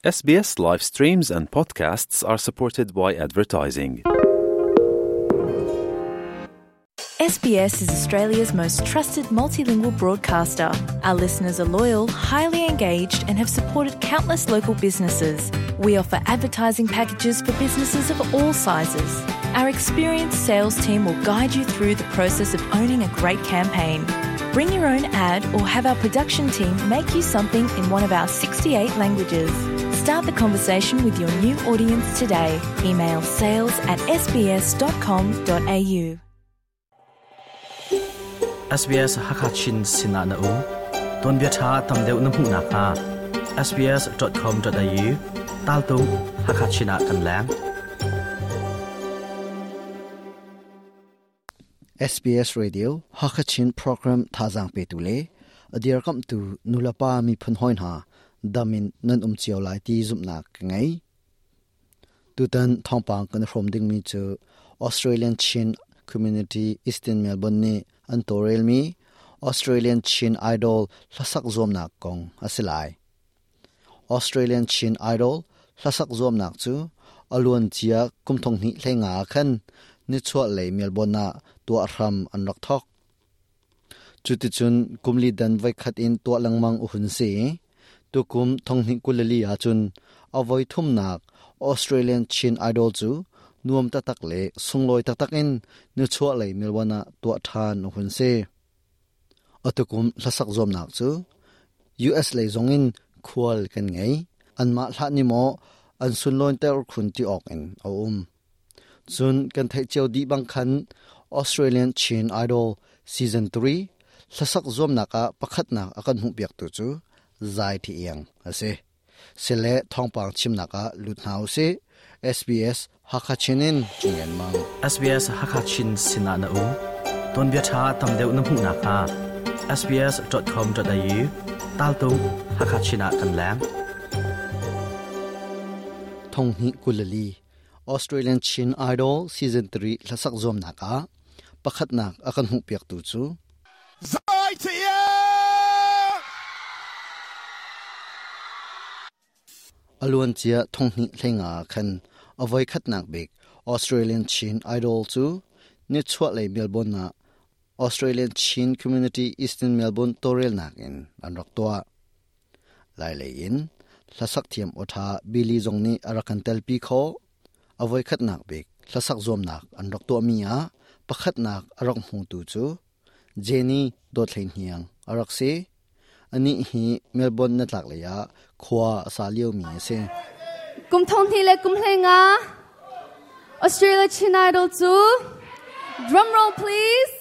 SBS live streams and podcasts are supported by advertising. SBS is Australia's most trusted multilingual broadcaster. Our listeners are loyal, highly engaged, and have supported countless local businesses. We offer advertising packages for businesses of all sizes. Our experienced sales team will guide you through the process of owning a great campaign. Bring your own ad or have our production team make you something in one of our 68 languages. Start the conversation with your new audience today. Email sales at sbs.com.au. SBS Hakachin Sinah na um ton bia tha tam deuh na hmuh nak hnga sbs.com.au tal tung Hakachin ah kan leng. SBS Radio Hakachin program thazaang petu le a dirkamhtu nulepa miphun hawi hna dam in nan um cio lai ti zumhnak ka ngei. Tutan thawngpang kan i hrawm dingmi cu Australian Chin Community Eastern Melbourne nih an tawlrelmi Australian Chin Idol hlasak zuamnak kong a si lai. Australian Chin Idol hlasak zuamnak cu a luancia kum thonghnih hleinga ah khan nichuahlei Melbourne ah tuah hram an rak thawk. Cuticun kumli dan voikhat in tuah lengmang a hun si i tukum thonghnih 22 ahcun a voi thumnak Australian Chin Idol cu nuam taktak le sunglawi taktak in nichuahlei Melbourne ah tuah ṭhan a hun si. Atukum hlasak zuamnak cu US lei zongin khual kan ngei. Anmah hlah ni maw an sunlawnter khun ti awk in a um. Cun kan theih cio dih bang khan Australian Chin Idol Season 3 hlasak zuamnak ah pakhatnak a kan hmuhpiaktu cu Zai Thi Iang a si. Sile thawngpang chimnak ah lut hna usih. SBS Hakha Chin in Cungen Mang. SBS Hakha Chin sinah na um. Tuanbia ṭha tam deuh na hmuh nakhnga sbs.com.au tal tung Hakha Chin ah kan leng. Thonghnih 22 Australian Chin Idol Season 3 hlasak zuamnak ah pakhatnak a kan hmuhpiaktu cu Zai Thiang! A luancia thonghnih hleinga ah khan a voikhatnak bik Australian Chin Idol cu nichuahlei Melbourne ah Australian Chin Community Eastern Melbourne tawlrelnak in an rak tuah. Lailei in hlasak thiam awṭha Billy zong nih a rak kan telpi khawh. A voikhatnak bik hlasak zuamnak an rak tuahmi ah pakhatnak a rak hmutu cu Jenny Dawt Hlei Hniang a rak si. Anih hi Melbourne na tlaklei ah khua a sa liomi a si. Kum thong hnih le kum hlei nga Australia Chin Idol cu drum roll please.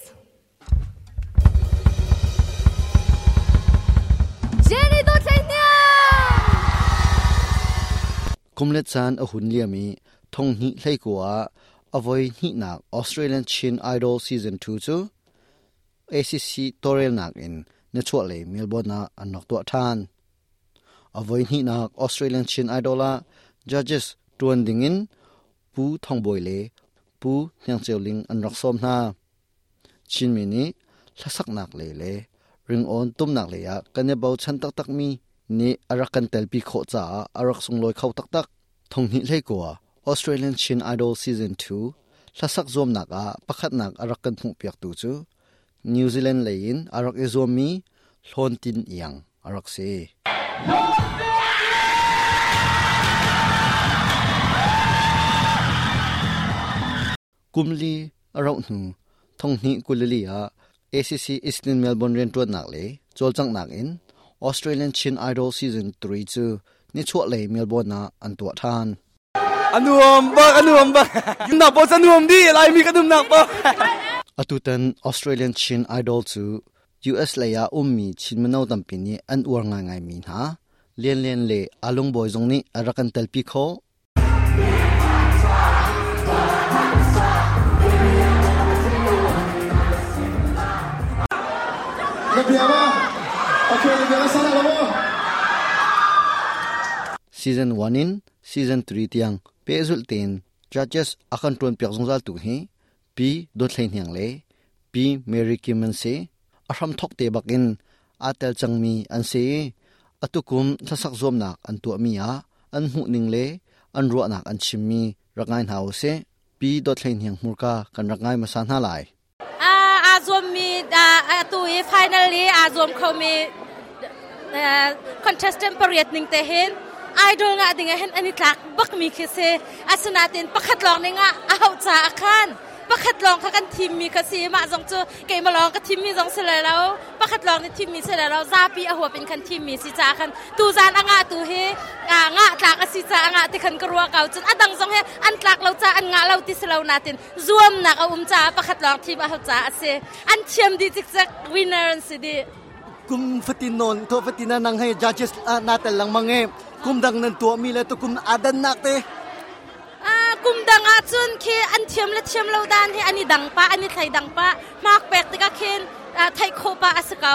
Jenny Dawt Hlei Hniang! Kum le caan a hun liam i thong hnih hlei kua ah a voi hnihnak Australian Chin Idol Season 2 cu ACC tawlrelnak in nichuahlei Melbourne ah an rak tuah ṭhan. A voi hnihnak Australian Chin Idol ah judges ṭuan dingin Pu Thong Bawi le Pu Hniang Ceu Ling an rak sawm hna. Chinmi nih hlasaknak lei le ringawn tumnak lei ah kan i bochan taktakmi nih a rak kan telpi khawh caah a rak sunglawi kho taktak. Thonghnih hleikua Australian Chin Idol Season 2 hlasak zuamnak ah pakhatnak a rak kan hmuhpiaktu cu New Zealand lei in a rak i zuammi Hlawn Tin Iang a rak si. Kum li a rauh hnu thonghnih 22 ah ACC Eastern Melbourne rianṭuannak le cawlcanghnak in Australian Chin Idol Season 3 cu nichuahlei Melbourne ah an tuah ṭhan. A nuam bak, a nuam bak. Nak pawl cu nuam dih, Laimi kan umnak pawl. Atutan Australian Chin Idol cu US lei ah ummi Chin mino tampi nih an uar ngaingaimi hna Lian Lian le Alung Bawi zong nih a rak kan telpi khawh. Season 1 in Season 3 tiang pehzulh tein judges a kan ṭuanpiak zungzal tu hi Pi Dawt Hlei Hniang le Pi Mary Kim an si. A hramthawk te bak in aa tel cangmi an si i atukum hlasak zuamnak an tuahmi ah An hmuhning le an ruahnak an chimmi rak ngai hna usih. Pi Dawt Hlei Hniang hmurka kan rak ngai hmasa hna lai. Aa zuammi atu i final i aa zuam khomi contestant pariat ning te hin idol ngah ding ah hin an i tlak bakmi khi si. Asinain pakhat lawng ning ah a hauh caah khan pakhat lawng kha kan thimmi kha si. Mah zong cu keimah lawng ka thimmi zong si lai lo, pakhat lawng nih thimmi si lai lo, zapi a huap in khan thimmi si caah khan tuzan a ngah tu hi ngah tlak a si caah a ngah ti khan ka ruah ko. Cun a dang zong hi an tlak lo caah an ngah lo ti si lo natin zuamnak a um caah pakhat lawng thim a hau caah a si. An thiam dih cikcek, winner an si dih. Kum fatin non to fatin nang hei judges na tel lengmang e kum dang nan tuahmi le tukum adannak te. Kum dang ah cun khi an thiam le thiam lo dan hi an i dang pa, an i thlei dang pa. Hmak pek tikah khin theih khawh pa a si ko.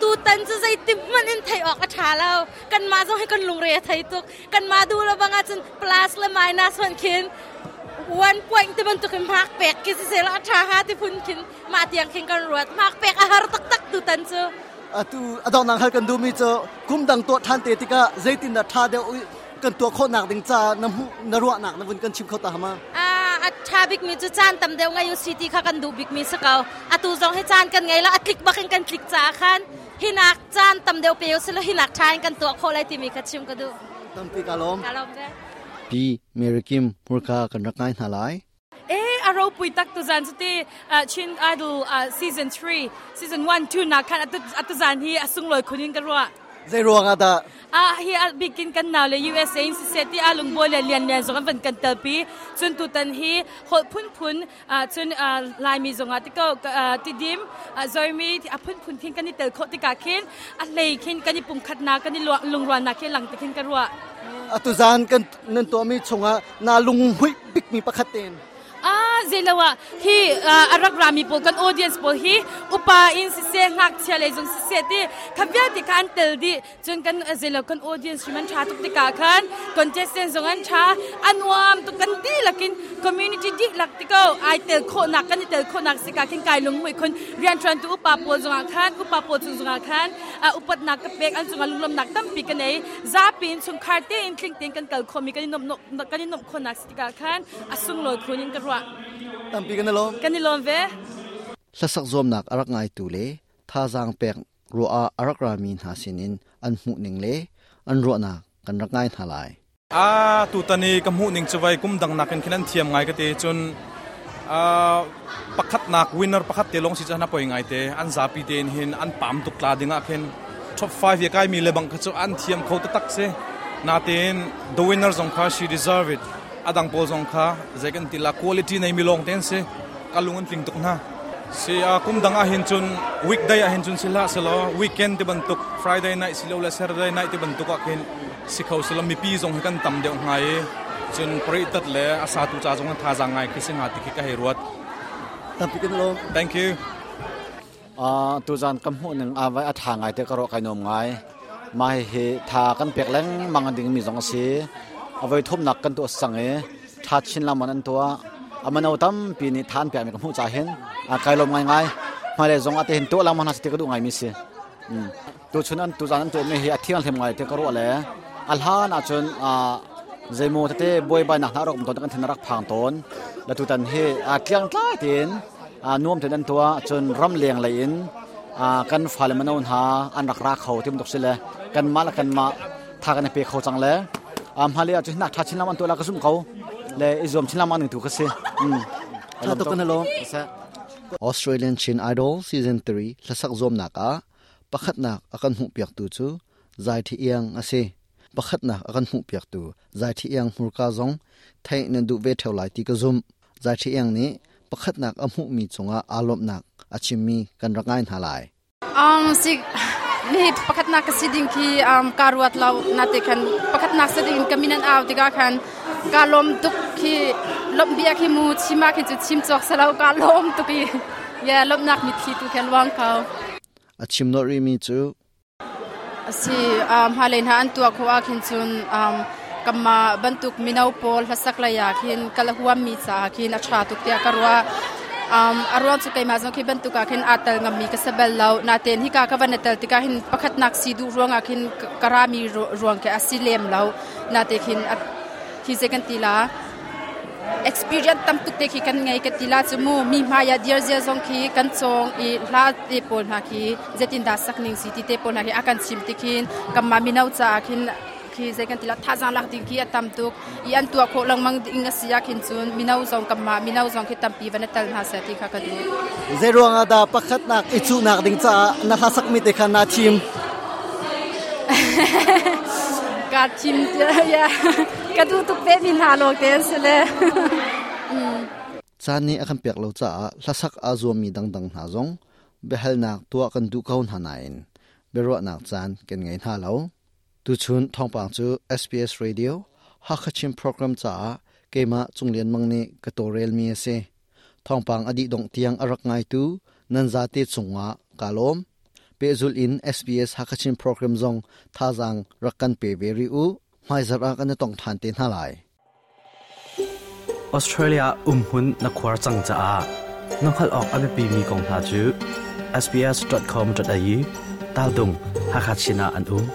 Tutan cu zeitim hmanh in theih awk a ṭha lo. Kanmah zong hi kan lungre a thei tuk. Kanmah duh lo bang ahcun plus le minus hmanh khin one point ti bantuk in hmak pek khi siseh a ṭha hnga ti phun khin mah tiang khin kan ruat. Hmak pek a har taktak tutan cu. Atu a donghnak hal kan duhmi cu kum dang tuah ṭhan te tikah zeitin dah ṭha deuh kan tuah khawhnak ding caah na hmuh na ruahnak na vun kan chim kho ta hama? A ṭha bikmi cu caan tam deuh ngei u si ti kha kan duh bikmi si ko. Atu zong hi caan kan ngei lo, a tlik bak in kan tlik caah khan hinak caan tam deuh pe u silo hinak ṭha in kan tuah khawh lai timi kha chim ka duh. Tampi ka lawm. Ka lawm ve. Pi Mary Kim hmurka kan rak ngai hna lai. E a ropui tak tu zan cu ti Chin Idol season 3 season 1 2 na khan atu zan hi a sunglawi khun in ka ruah. Zei ruang ah dah? A hi a bikin kan nau le USA in siseh ti a lungbawi le lian lian zong an van kan telpi. Cun tutan hi holh phunphun cun Laimi zong ah tiko tidim zoimi a phunphun khin kan i tel khawh tikah khin a hlei khin kan i pumkhatnak kan i lungrualnak khi lang ti khin ka ruah. Atu zan kan nan tuahmi chungah na lunghmuih bikmi pakhat tein. Ah, zeiloah hi a rak rami pawl kan audience pawl hi upa in siseh ngakchia lei zong siseh ti kha vialte kha an tel dih. Cun kan zeilo kan audience hrim an ṭha tuk tikah khan contestant zong an ṭha, a nuam tuk kan dihlak in community dihlak ti ko ai tel khawhnak kan i tel khawhnak sika khin kai lungmuih khun. Rianṭuantu upa pawl zongah khan upa pawl cung zongah khan upatnak ka pek, an cungah lunglawmhnak tampi ka nei. Zapi in chungkhar tein tling tein kan kal khawhmi kan i nuamh kan i nuamh khawhnak si tikah khan a sunglawi khun in ka ruah. Tampi kan i lawm. Kan i lawm ve. Hlasak zuamnak a rak ngaitu le thazaang pek ruah ah a rak rami hna sinin an hmuhning le an ruahnak kan rak ngai hna lai. A tutan i ka hmuhning cu vai kum dang nakin khin an thiam ngai ka ti. Cun pakhatnak winner pakhat te lawng si cu na poi ngai te. An zapi tein hin an pam tuk tla ding ah khin top 5 ya kai mi le bang kha cu an thiam kho taktak si. Natein the winner zong kha she deserve it. Adang pawl zong kha zei kan ti la, quality nei mi lawng te an si. Ka lung an tling tuk hna si. Kum dang ah hin cun weekday ah hin cun si hlah selaw weekend ti bantuk, Friday night si lo le Saturday night ti bantuk ah khin si kho selaw mipi zong hi kan tam deuh hnga i cun parih tat le a satu ca zong thazaang ngai khi si hnga ti khi ka hei ruat. Tampi kan lawm. Thank you. Tuzan kan hmuh ning a vai a tha ngai te ka ruah, kai nuam ngai. Mah hihi tha kan pek lengmang ding mi zong a si. A voi thumnak kan tuah sang i tha chin lengmang an tuah. A mano tampi nih tha an pek mi ka hmuh ca hin kai lawm ngai ngai. Hmailei zong ate hin tuah lengmang hna si ti ka duh ngai mi si. Tuchun an tuzan an tuah mi hi a thianghlim ngai te ka ruah le a hlan ahcun zeimaw tete buaibainak hna rak um tawn, kan thin a rak phang tawn. La tutan hi tliang tlai tein nuam tein an tuah. Cun ramleng lei in kan fale mano hna an rak ra kho ti bantuk si le kanmah le kanmah tha kan i pe kho cang le hmailei ah cun hinak ṭha chin lengmang an tuah la ka zumh ko le i zuam chin lengmang ning tu ka si. Tha tuk kan lawm. Australian Chin Idol Season 3 hlasak zuamnak ah pakhatnak a kan hmuhpiaktu cu Zai Thi Iang a si. Pakhatnak a kan hmuhpiaktu Zai Thi Iang hmurka zong theih nan duh ve ṭheo lai ti ka zumh. Zai Thi Iang nih pakhatnak a hmuhmi cungah aa lawmhnak a chimmi kan rak ngai hna lai. Si mi pakhatnak ka si ding khi ka ruat lo na te khan pakhatnak si ding ka min an au tikah khan ka lawm tuk khi lawmh bia khi mu chim ah khin cu chim cawk selo ka lawm tuk i ya lawmhnak mitthli tu khan luang ko. A chim nawh rihmi cu Si hmailei hna an tuah khawh ah khin cun kanmah bantuk mino pawl hlasak lei ah khin kal a huammi caah khin a ṭha tuk tiah ka ruah. Um, a ruang cu keimah zong khi bantuk ah khin aa tel ngammi ka si bal lo. Natein hika ka van i tel tikah hin pakhatnak si duh ruangah khin ka rami ruang khi a si lem lo. Nate khin hi zei kan ti la experience tam tuk te khi kan ngei ka ti la cu mu mi hmai ah dir zia zong khi kan cawng i hla te pawl hna khi zeitindah sak ning si ti te pawl hna khi a kan chim ti khin kanmah mino caah khin khi zei kan ti la thazaang lak ding khi a tam tuk i an tuah khawh lengmang ding a si ah khin cun mino zong kanmah mino zong khi tampi van i tel hna seh ti kha ka duh. Zei ruangah dah pakhatnak i cuhnak ding caah na hla sakmi te kha naa thim? Kaa thim ya ka duh tuk ve mi hna lawng te an si le. Caan nih a kan pek lo caah hlasak aa zuammi dangdang hna zong biahalnak tuah kan duh ko hna nain biaruahnak caan kan ngei hna lo. Tuchun thawngpang cu SBS Radio Hakha Chin program caah keimah Cung Lian Mang nih ka tawlrelmi a si. Thawngpang a dih dongh tiang a rak ngaitu nan zate cungah kaa lawm. Pehzulh in SBS Hakha Chin program zong thazaang rak kan pe ve rih u. Hmaizarh ah kan i tong ṭhan te hna lai. Australia umhmun na khuar cang caah na hngalh awk a biapimi kong hna cu sbs.com.au tal dung Hakha Chin ah an um.